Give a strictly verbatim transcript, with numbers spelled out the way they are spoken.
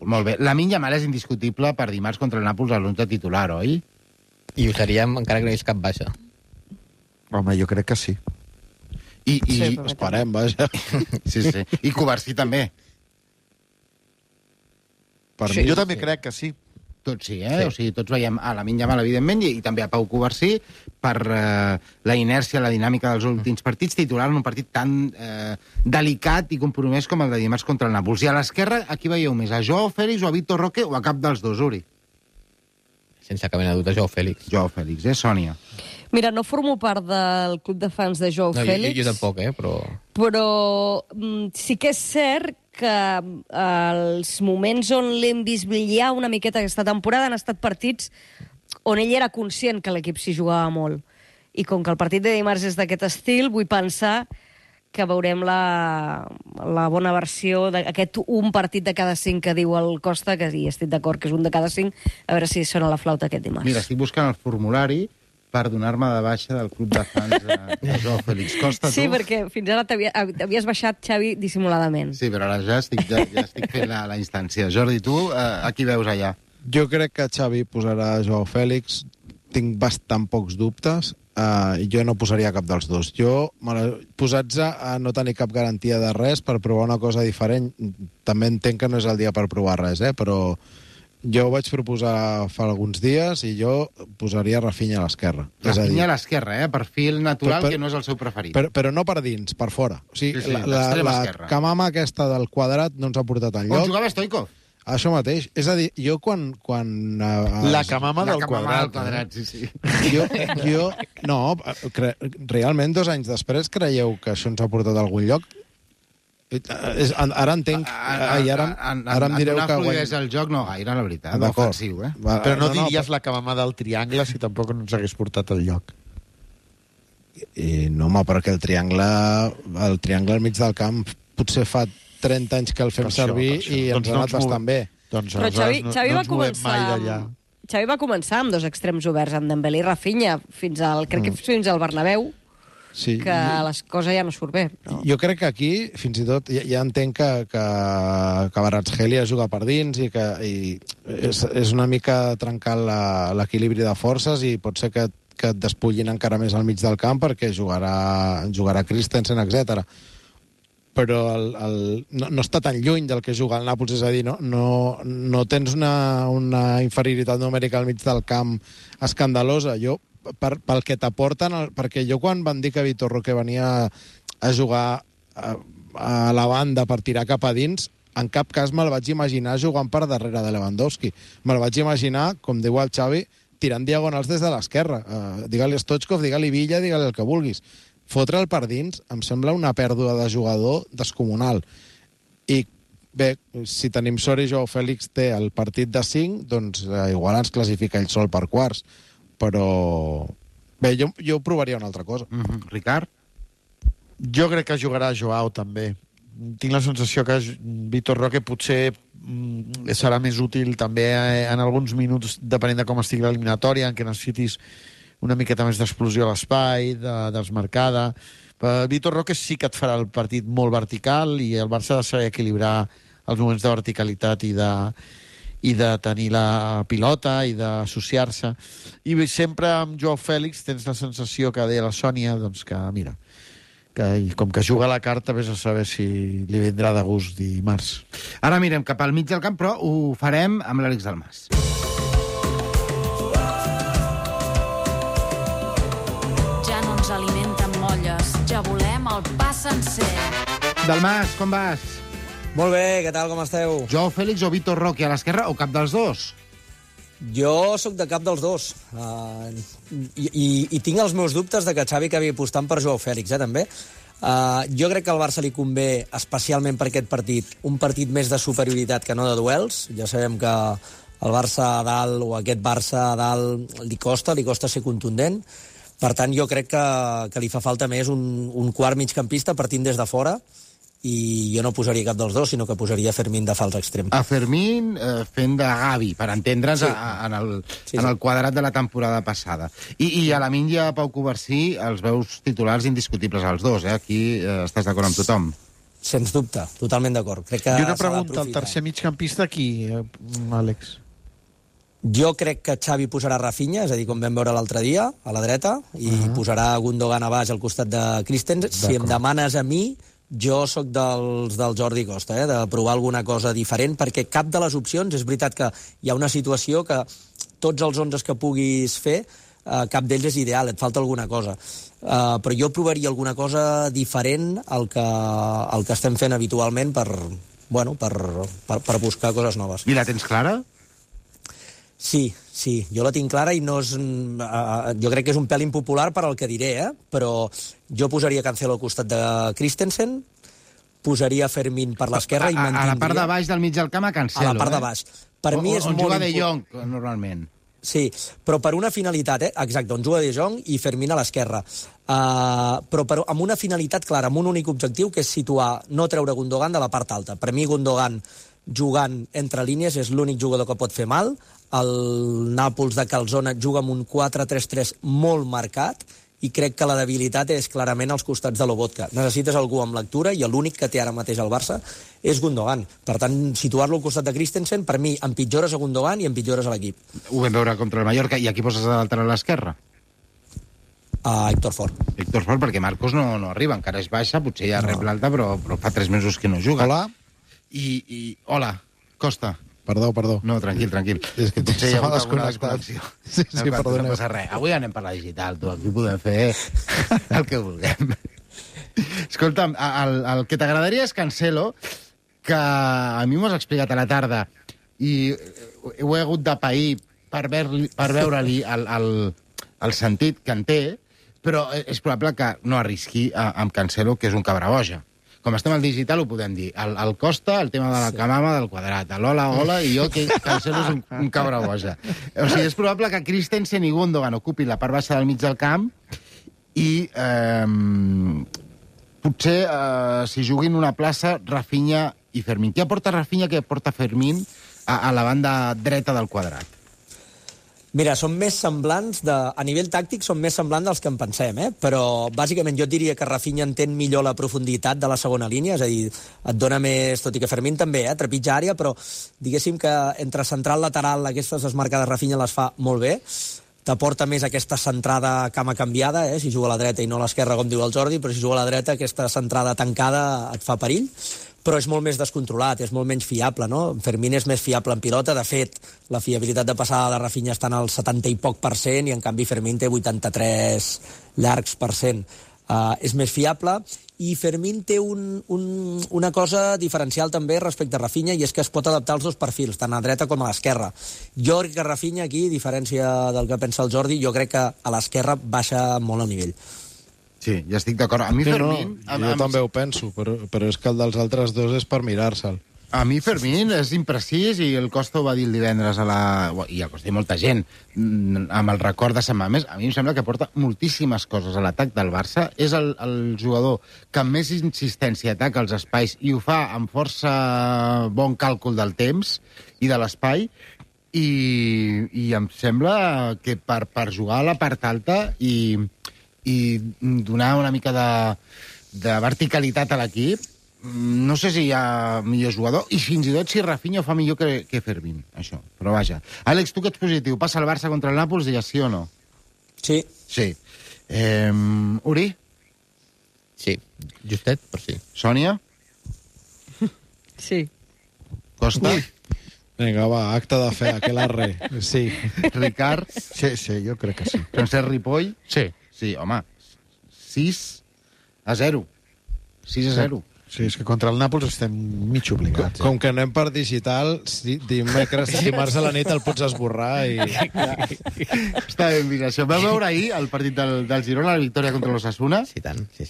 Molt bé. Lamine Yamal és indiscutible per dimarts contra el Nàpols a l'onze titular, oi? I ho seríem encara que no hi hagués cap baixa. Home, jo crec que sí. I, i... Sí, Esperem, vaja. Sí, sí. I Covarsí també. Per Sí, mi, jo també crec que sí. Tots sí, eh? Sí. O sigui, tots veiem a Lamine Yamal, evidentment, i, i també a Pau Covarsí per eh, la inèrcia, la dinàmica dels últims partits, titular en un partit tan eh, delicat i compromès com el de dimarts contra el Nàpols. I a l'esquerra, aquí veieu més? A Joao Félix o a Vitor Roque o a cap dels dos, Uri? Sense cap mena de dubte, Joao Félix. Joao Félix, eh, Sònia? Mira, no formo part del club de fans de Joao No, jo, Félix. jo, jo tampoc, eh, però... Però mm, sí que és cert que els moments on l'hem vist brillar una miqueta aquesta temporada han estat partits on ell era conscient que l'equip s'hi jugava molt. I com que el partit de dimarts és d'aquest estil, vull pensar que veurem la, la bona versió d'aquest un partit de cada cinc que diu el Costa, que sí, estic d'acord que és un de cada cinc, a veure si sona la flauta aquest dimarts. Mira, estic buscant el formulari per donar-me de baixa del club de fans de, de Joao Félix. Costa, tu? Sí, perquè fins ara t'havies baixat, Xavi, dissimuladament. Sí, però ara ja estic, ja, ja estic fent la, la instància. Jordi, tu, eh, a qui veus allà? jo crec que Xavi posarà Joao Félix. Tinc bastant pocs dubtes. Uh, jo no posaria cap dels dos. Jo, posats a no tenir cap garantia de res per provar una cosa diferent, també entenc que no és el dia per provar res, eh? Però jo ho vaig proposar fa alguns dies i jo posaria Rafinha a l'esquerra. Rafinha a l'esquerra, eh? Perfil natural, Per- per- que no és el seu preferit. Però, però no per dins, per fora. O sigui, Sí, sí, la, la, l'extrema la esquerra. camama aquesta del quadrat no ens ha portat On enlloc. jugava Stoikov? Això mateix. És a dir, jo quan... quan uh, La camama La del camama del quadrat. quadrat, sí, sí. Jo, jo, no, cre, realment dos anys després creieu que això ens ha portat a algun lloc? Eh, És, ara entenc... A, a, i ara, a, a, ara em direu donar que... fluidesa al joc no gaire, la veritat. D'acord. Ofensiu, eh? Va, Però no, no diries la camama del triangle si tampoc no ens hagués portat al lloc. I, no, home, perquè el triangle, el triangle al mig del camp potser fa trenta anys que el fem Per això, servir per això. i ens Doncs ha no anat ens bastant bé. Doncs Però aleshores Xavi, no, Xavi no va ens movem començar mai amb, d'allà. Xavi va començar amb dos extrems oberts, amb Dembélé i Rafinha, fins al, crec que fins al Bernabéu, Sí, que les coses ja no surt bé. Però... jo crec que aquí, fins i tot, ja, ja entenc que, que, que Kvaratskhelia juga per dins i que i és, és una mica trencar la- l'equilibri de forces i pot ser que, que et despullin encara més al mig del camp perquè jugarà, jugarà Christensen, etcètera. Però el, el, no, no està tan lluny del que juga el Nàpols, és a dir, no, no, no tens una, una inferioritat numèrica al mig del camp escandalosa. Jo, per, pel que t'aporten, el- perquè jo quan van dir que Vitor Roque venia a jugar a, a la banda per tirar cap a dins, en cap cas me'l vaig imaginar jugant per darrere de Lewandowski. Me'l vaig imaginar, com diu el Xavi, tirant diagonals des de l'esquerra. Uh, digue-li Stoichkov, digue-li Villa, digue-li el que vulguis. Fotre'l per dins em sembla una pèrdua de jugador descomunal. I bé, si tenim sort i Joao Félix té el partit de cinc, doncs eh, igual ens classifica ell sol per quarts. Però bé, jo, jo provaria una altra cosa. Mm -hmm. Ricard? Jo crec que jugarà Joao, també. Tinc la sensació que Vitor Roque potser mm, serà més útil també eh, en alguns minuts, depenent de com estigui l'eliminatòria, en què necessitis una miqueta més d'explosió a l'espai, de, desmarcada. Però Vitor Roque sí que et farà el partit molt vertical i el Barça ha de saber equilibrar els moments de verticalitat i de, i de tenir la pilota i d'associar-se. I sempre amb Joao Félix tens la sensació que deia la Sònia, doncs que, mira, que i com que juga a la carta, vés a saber si li vindrà de gust dimarts. Ara mirem cap al mig del camp, però ho farem amb l'Àlex Dalmas. Ja no ens alimenten molles, ja volem el pa sencer. Dalmas, com vas? Molt bé, què tal, com esteu? Joao Félix o Vitor Roque a l'esquerra o cap dels dos? Jo sóc de cap dels dos. Uh, i, i, I tinc els meus dubtes de que Xavi acabi apostant per Joao Félix, eh, també. Uh, jo crec que al Barça li convé, especialment per aquest partit, un partit més de superioritat que no de duels. Ja sabem que el Barça a dalt, o aquest Barça a dalt, li costa, li costa ser contundent. Per tant, jo crec que, que li fa falta més un, un quart migcampista partint des de fora, i jo no posaria cap dels dos, sinó que posaria Fermín de fals extrem. A Fermín eh, fent de Gavi, per entendre's, Sí. a, a, en, el, Sí, en sí. el quadrat de la temporada passada. I, i a Lamine i a Pau Covarsí els veus titulars indiscutibles als dos, eh? Aquí eh, estàs d'acord amb tothom. Sens dubte, totalment d'acord. Crec que I una s'ha pregunta, el d'aprofitar. tercer migcampista qui, eh, Àlex? Jo crec que Xavi posarà Rafinha, és a dir, com vam veure l'altre dia, a la dreta, i uh -huh. posarà Gundogan a baix al costat de Christensen. Si em demanes a mi, jo sóc dels del Jordi Costa, eh, de provar alguna cosa diferent, perquè cap de les opcions, és veritat que hi ha una situació que tots els onze que puguis fer, eh, cap d'ells és ideal, et falta alguna cosa. Uh, però jo provaria alguna cosa diferent al que, al que estem fent habitualment per, bueno, per, per, per buscar coses noves. I la tens clara? Sí, sí, jo la tinc clara i no és, uh, jo crec que és un pèl impopular per al que diré, eh? Però jo posaria Cancelo al costat de Christensen, posaria Fermín per l'esquerra i A, a, mantindria... a la part de baix del mig del camp a Cancelo, A la part eh? de baix. Per o, mi és on molt juga De impo- Jong, normalment. Sí, però per una finalitat, eh? Exacte, on juga De Jong i Fermín a l'esquerra. Uh, però per, amb una finalitat clara, amb un únic objectiu, que és situar, no treure Gundogan de la part alta. Per mi, Gundogan, jugant entre línies, és l'únic jugador que pot fer mal. El Nàpols de Calzona juga amb un quatre tres tres molt marcat i crec que la debilitat és clarament als costats de Lobotka. Necessites algú amb lectura i l'únic que té ara mateix el Barça és Gundogan. Per tant, situar-lo al costat de Christensen, per mi, empitjores a Gundogan i empitjores a l'equip. Ho vam veure contra el Mallorca. I aquí poses a l'altre a l'esquerra? A Héctor Fort. Héctor Fort, perquè Marcos no, no arriba, encara és baixa, potser ja rep l'alta, però, però fa tres mesos que no juga. Hola? I, i hola, Costa. Perdó, perdó. No, tranquil, tranquil. És que potser hi ha s'ha hagut alguna desconnectat. desconnexió. Sí, sí, no, perdoneu. No passa res. Avui anem per la digital, tu. Aquí podem fer el que vulguem. Escolta'm, el, el que t'agradaria és Cancelo, que a mi m'ho has explicat a la tarda, i ho he hagut de pair per, ver per veure-li el, el, el sentit que en té, però és probable que no arrisqui amb Cancelo, que és un cabraboja. Com estem al digital, ho podem dir. El, el Costa, el tema de la camama, del quadrat. L'hola, hola, i jo, que Cancelo és un, un cabra boja. O sigui, és probable que Christensen i Gundogan ocupin la part baixa del mig del camp i eh, potser eh, si juguin una plaça Rafinha i Fermín. Què aporta Rafinha, què aporta Fermín a, a la banda dreta del quadrat? Mira, són més semblants, de, a nivell tàctic, són més semblants dels que en pensem, eh? Però bàsicament jo et diria que Rafinha entén millor la profunditat de la segona línia, és a dir, et dona més, tot i que Fermín també, eh? Trepitja àrea, però diguéssim que entre central lateral aquestes desmarcades Rafinha les fa molt bé, t'aporta més aquesta centrada cama canviada, eh? Si juga a la dreta i no a l'esquerra, com diu el Jordi, però si juga a la dreta aquesta centrada tancada et fa perill, però és molt més descontrolat, és molt menys fiable, no? Fermín és més fiable en pilota, de fet, la fiabilitat de passada de Rafinha està en el setanta i poc per cent, i en canvi Fermín té vuitanta-tres llargs per cent. Uh, és més fiable, i Fermín té un, un, una cosa diferencial també respecte a Rafinha, i és que es pot adaptar als dos perfils, tant a dreta com a l'esquerra. Jo crec que Rafinha aquí, a diferència del que pensa el Jordi, jo crec que a l'esquerra baixa molt el nivell. Sí, ja estic d'acord. A mi Sí, Fermín... no, amb, jo amb... també ho penso, però, però és que el dels altres dos és per mirar-se'l. A mi Fermín és imprecís, i el Costa ho va dir el divendres a la... i el Costa i molta gent, amb el record de Sant Mamés. A mi em sembla que porta moltíssimes coses a l'atac del Barça. És el, el jugador que amb més insistència ataca els espais i ho fa amb força bon càlcul del temps i de l'espai, i, i em sembla que per, per jugar a la part alta i, i donar una mica de, de verticalitat a l'equip, no sé si hi ha millor jugador, i fins i tot si Rafinha ho fa millor que, que Fermín, això. Però vaja. Àlex, tu que ets positiu, passa el Barça contra el Nàpols, digues sí o no? Sí. Sí. Eh, Uri? Sí, justet, però sí. Sònia? Sí. Costa? Vinga, va, acte de fe, aquel arre. Sí. Ricard? Sí, sí, jo crec que sí. Francesc Ripoll? Sí. Sí, home. sis a zero. sis a zero. Sí, és que contra el Nàpols estem mig obligats. Com que anem per digital, si, dimecres, dimarts a la nit el pots esborrar i... Està ben vist, això. Vau veure ahir el partit del, del Girona, la victòria contra l'Osasuna? Sí, tant, sí,